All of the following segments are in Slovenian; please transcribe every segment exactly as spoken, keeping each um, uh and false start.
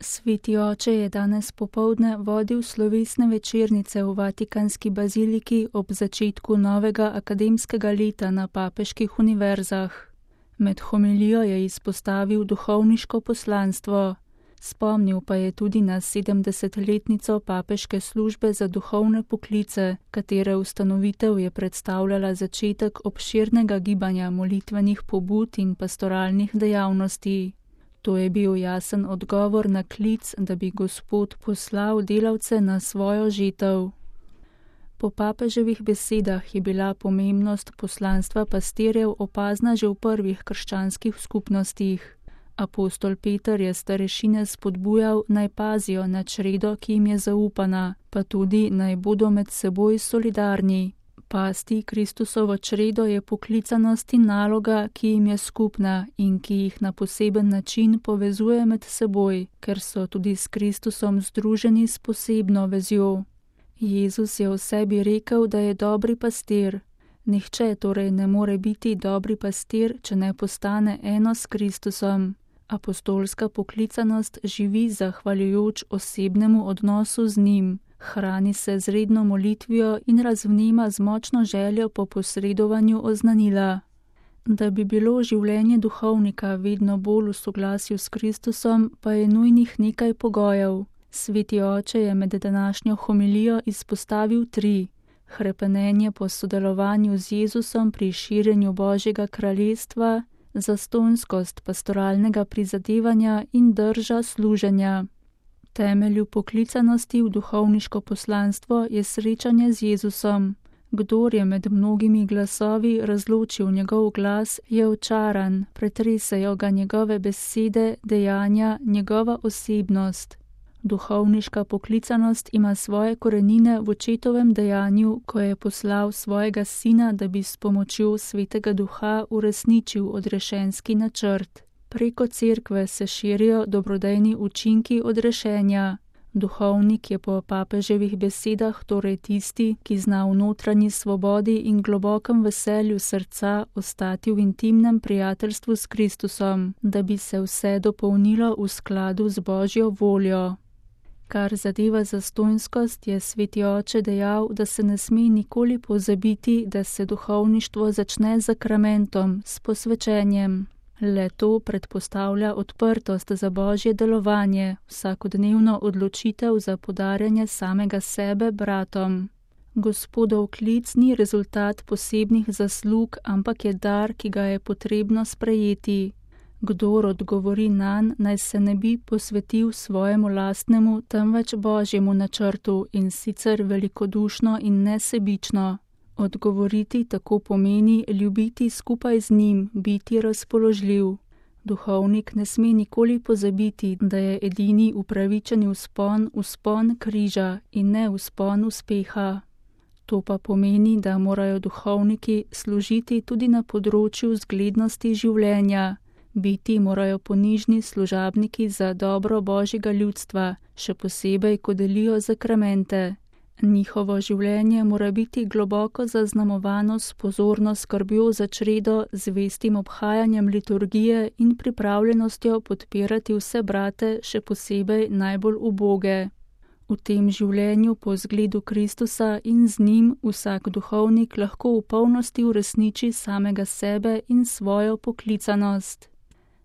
Sveti oče je danes popoldne vodil slovesne večernice v Vatikanski baziliki ob začetku novega akademskega leta na papeških univerzah. Med homilijo je izpostavil duhovniško poslanstvo. Spomnil pa je tudi na sedemdesetletnico papeške službe za duhovne poklice, katere ustanovitev je predstavljala začetek obširnega gibanja molitvenih pobud in pastoralnih dejavnosti. To je bil jasen odgovor na klic, da bi Gospod poslal delavce na svojo žetev. Po papeževih besedah je bila pomembnost poslanstva pastirjev opazna že v prvih krščanskih skupnostih. Apostol Peter je starešine spodbujal, naj pazijo na čredo, ki jim je zaupana, pa tudi naj bodo med seboj solidarni. Pasti Kristusovo čredo je poklicanost in naloga, ki jim je skupna in ki jih na poseben način povezuje med seboj, ker so tudi s Kristusom združeni s posebno vezjo. Jezus je o sebi rekel, da je dobri pastir. Nihče torej ne more biti dobri pastir, če ne postane eno s Kristusom. Apostolska poklicanost živi zahvaljujoč osebnemu odnosu z njim. Hrani se z redno molitvijo in razvnema z močno željo po posredovanju oznanila. Da bi bilo življenje duhovnika vedno bolj v soglasju s Kristusom, pa je nujnih nekaj pogojev. Sveti oče je med današnjo homilijo izpostavil tri. Hrepenenje po sodelovanju z Jezusom pri širjenju Božjega kraljestva, zastonjskost pastoralnega prizadevanja in drža služenja. Temelju poklicanosti v duhovniško poslanstvo je srečanje z Jezusom. Kdor je med mnogimi glasovi razločil njegov glas, je očaran, pretresejo ga njegove besede, dejanja, njegova osebnost. Duhovniška poklicanost ima svoje korenine v očetovem dejanju, ko je poslal svojega sina, da bi s pomočjo Svetega Duha uresničil odrešenski načrt. Preko cerkve se širijo dobrodejni učinki odrešenja. Duhovnik je po papeževih besedah torej tisti, ki zna v notranji svobodi in globokem veselju srca ostati v intimnem prijateljstvu s Kristusom, da bi se vse dopolnilo v skladu z Božjo voljo. Kar zadeva zastonjskost, je Sveti oče dejal, da se ne sme nikoli pozabiti, da se duhovništvo začne z sakramentom, s posvečenjem. Le to predpostavlja odprtost za Božje delovanje, vsakodnevno odločitev za podarjanje samega sebe bratom. Gospodov klic ni rezultat posebnih zaslug, ampak je dar, ki ga je potrebno sprejeti. Kdor odgovori nanj, naj se ne bi posvetil svojemu lastnemu, temveč Božjemu načrtu in sicer velikodušno in nesebično. Odgovoriti tako pomeni ljubiti skupaj z njim, biti razpoložljiv. Duhovnik ne sme nikoli pozabiti, da je edini upravičeni vzpon vzpon križa in ne vzpon uspeha. To pa pomeni, da morajo duhovniki služiti tudi na področju zglednosti življenja. Biti morajo ponižni služabniki za dobro Božjega ljudstva, še posebej, ko delijo sakramente. Njihovo življenje mora biti globoko zaznamovano s pozorno skrbjo za čredo, zvestim obhajanjem liturgije in pripravljenostjo podpirati vse brate, še posebej najbolj uboge. V tem življenju po zgledu Kristusa in z njim vsak duhovnik lahko v polnosti uresniči samega sebe in svojo poklicanost.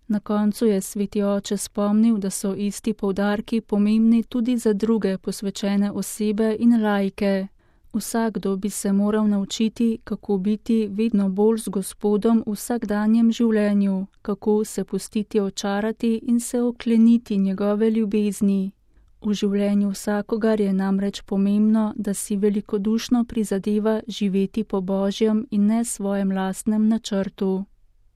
Na koncu je Sveti oče spomnil, da so isti poudarki pomembni tudi za druge posvečene osebe in laike. Vsakdo bi se moral naučiti, kako biti vedno bolj z Gospodom v vsakdanjem življenju, kako se pustiti očarati in se okleniti njegove ljubezni. V življenju vsakogar je namreč pomembno, da si velikodušno prizadeva živeti po Božjem in ne svojem lastnem načrtu.